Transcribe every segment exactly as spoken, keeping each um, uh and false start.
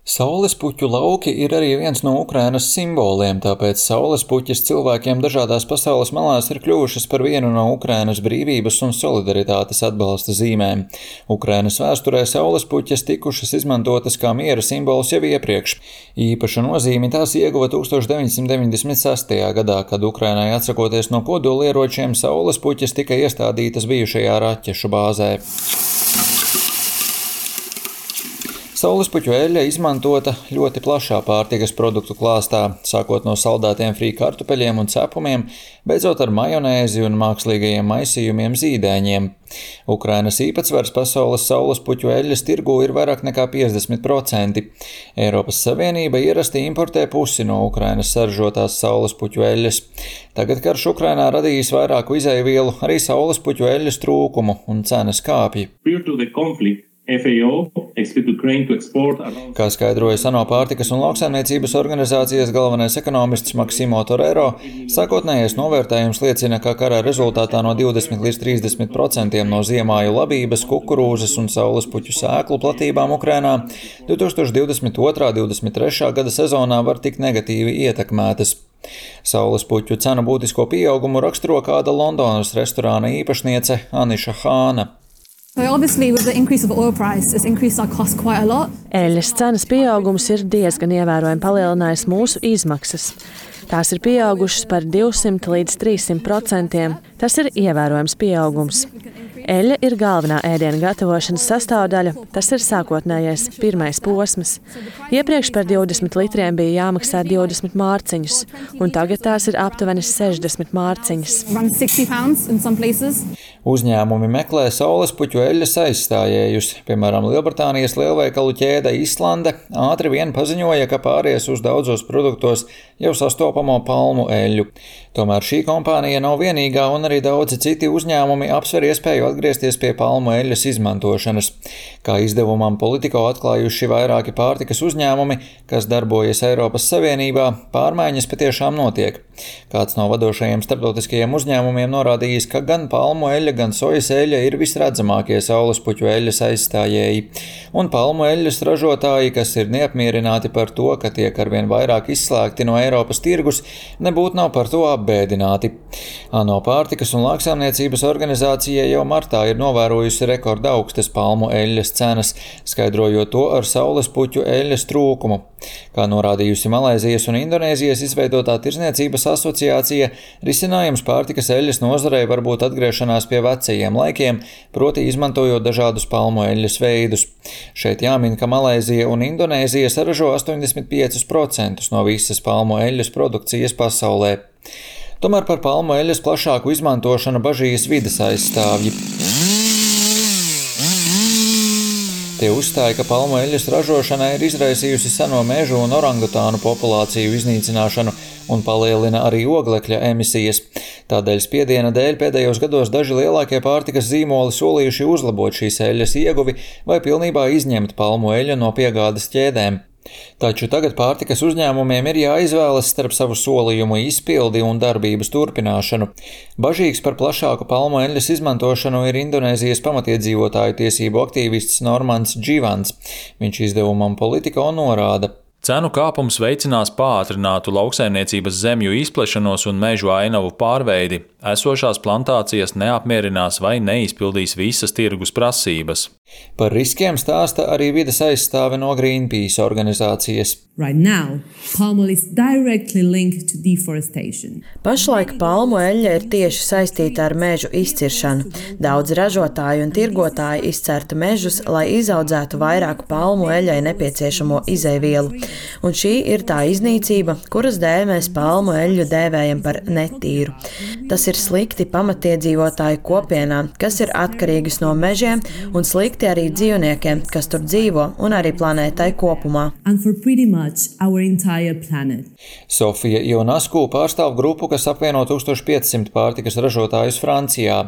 Saulespuķu lauki ir arī viens no Ukrainas simboliem, tāpēc saulespuķis cilvēkiem dažādās pasaules malās ir kļuvušas par vienu no Ukrainas brīvības un solidaritātes atbalsta zīmēm. Ukrainas vēsturē saulespuķes tikušas izmantotas kā miera simbols jau iepriekš. Īpašu nozīmi tās ieguva tūkstoš deviņsimt deviņdesmit sestajā gadā, kad Ukrainai atsakoties no kodolieročiem, saulespuķes tika iestādītas bijušajā raķešu bāzē. Saulespuķu eļļa izmantota ļoti plašā pārtikas produktu klāstā, sākot no saldētiem frī kartupeļiem un cepumiem, beidzot ar majonēzi un mākslīgajiem maisījumiem zīdaiņiem. Ukrainas īpatsvars pasaules saulespuķu eļļas tirgū ir vairāk nekā piecdesmit procenti. Eiropas Savienība ierasti importē pusi no Ukrainas saražotās saulespuķu eļļas. Tagad karš Ukrainā radījis vairāku izeivielu, arī saulespuķu eļļas trūkumu un cenas kāpj. Kā skaidroja ANO pārtikas un lauksaimniecības organizācijas galvenais ekonomists Maksimo Torero, sākotnējais novērtējums liecina, ka kara rezultātā no divdesmit līdz trīsdesmit procentiem no ziemāju labības, kukurūzas un saulespuķu sēklu platībām Ukrainā divtūkstoš divdesmit otrā divdesmit trešā gada sezonā var tikt negatīvi ietekmētas. Saulespuķu cenu būtisko pieaugumu raksturo kāda Londonas restorāna īpašniece Aniša Hāna. Eļļas cenas pieaugums ir diezgan ievērojami palielinājis mūsu izmaksas. Tās ir pieaugušas par divsimt līdz trīssimt procentiem. Tas ir ievērojams pieaugums. Eļļa ir galvenā ēdiena gatavošanas sastāvdaļa, tas ir sākotnējais pirmais posms. Iepriekš par divdesmit litriem bija jāmaksā divdesmit mārciņus, un tagad tās ir aptuveni sešdesmit mārciņas. Uzņēmumi meklē saulespuķu eļļas aizstājējus. Piemēram, Lielbritānijas lielveikalu ķēde Islande ātri vien paziņoja, ka pāries uz daudzos produktos jau sastopamo palmu eļļu. Tomēr šī kompānija nav vienīgā, un arī daudzi citi uzņēmumi apsver iespēju atgriezties pie palmu eļļas izmantošanas. Kā izdevumam Politico atklājuši vairāki pārtikas uzņēmumi, kas darbojas Eiropas Savienībā, pārmaiņas patiešām notiek. Kāds no vadošajiem starptautiskajiem uzņēmumiem norādījis, ka gan palmu eļļa, gan sojas eļļa ir visredzamākie saulespuķu eļļas aizstājēji. Un palmu eļļas ražotāji, kas ir neapmierināti par to, ka tiek arvien vairāk izslēgti no Eiropas tirgus, nebūtu nav par to apbēdināti. ANO pārtikas un lauksaimniecības organizācija jau martā ir novērojusi rekorda augstas palmu eļļas cenas, skaidrojot to ar saulespuķu eļļas trūkumu. Kā norādījusi Malaizijas un Indonēzijas izveidotā tirdzniecības asociācija, risinājums pārtikas eļļas nozarei var būt atgriešanās pie vecajiem laikiem, proti izmantojot dažādus palmu eļļas veidus. Šeit jāmin, ka Malaizija un Indonēzija saražo astoņdesmit piecus procentus no visas palmu eļļas produkcijas pasaulē. Tomēr par palmu eļļas plašāku izmantošanu bažījas vides aizstāvji. Tie uzstāja, ka palmu eļļas ražošana ir izraisījusi seno mežu un orangutānu populāciju iznīcināšanu un palielina arī oglekļa emisijas. Tādēļ spiediena dēļ pēdējos gados daži lielākie pārtikas zīmoli solījuši uzlabot šīs eļļas ieguvi vai pilnībā izņemt palmu eļļu no piegādes ķēdēm. Taču tagad pārtikas uzņēmumiem ir jāizvēlas starp savu solījumu izpildi un darbības turpināšanu. Bažīgs par plašāku palmu eļļas izmantošanu ir Indonēzijas pamatiedzīvotāju tiesību aktīvists Normans Dživans. Viņš izdevumam Politico norāda. Cenu kāpums veicinās pātrinātu lauksaimniecības zemju izplešanos un mežu ainavu pārveidi. Esošās plantācijas neapmierinās vai neizpildīs visas tirgus prasības. Par riskiem stāsta arī vides aizstāve no Greenpeace organizācijas. Right now, palm oil is directly linked to deforestation. Pašlaik palmu eļļa ir tieši saistīta ar mežu izciršanu. Daudz ražotāju un tirgotāji izcerta mežus, lai izaudzētu vairāk palmu eļļai nepieciešamo izeivielu. Un šī ir tā iznīcība, kuras dēļ mēs palmu eļļu dēvējam par netīru. Tas ir slikti pamatiedzīvotāju kopienām, kas ir atkarīgas no mežiem, un slikti arī dzīvniekiem, kas tur dzīvo, un arī planētai kopumā. Sofija Ionasku pārstāv grupu, kas apvieno tūkstoš piecsimt pārtikas ražotājus Francijā.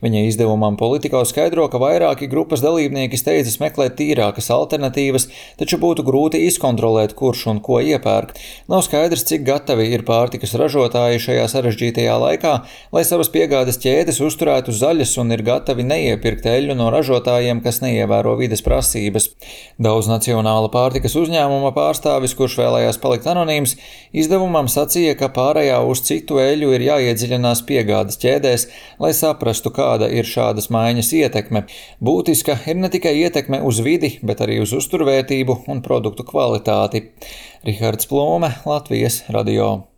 Viņa izdevumam Politico skaidro, ka vairāki grupas dalībnieki steidzas meklēt tīrākas alternatīvas, taču būtu grūti izkontrolēt, kurš un ko iepērk. Nav skaidrs, cik gatavi ir pārtikas ražotāji šajā sarežģītajā laikā, lai savas piegādes ķēdes uzturētu zaļas un ir gatavi neiepirkt eļļu no ražotājiem, kas neievēro vides prasības. Daudz nacionāla pārtikas uzņēmuma pārstāvis, kurš vēlējās palikt anonīms, izdevumam sacīja, ka pārējā uz citu eļļu ir jāiedziļinās piegādes ķēdēs, lai saprastu, kāda ir šādas maiņas ietekme. Būtiska ir ne tikai ietekme uz vidi, bet arī uz uzturvērtību un produktu kvalitāti. Rihards Plūme, Latvijas radio.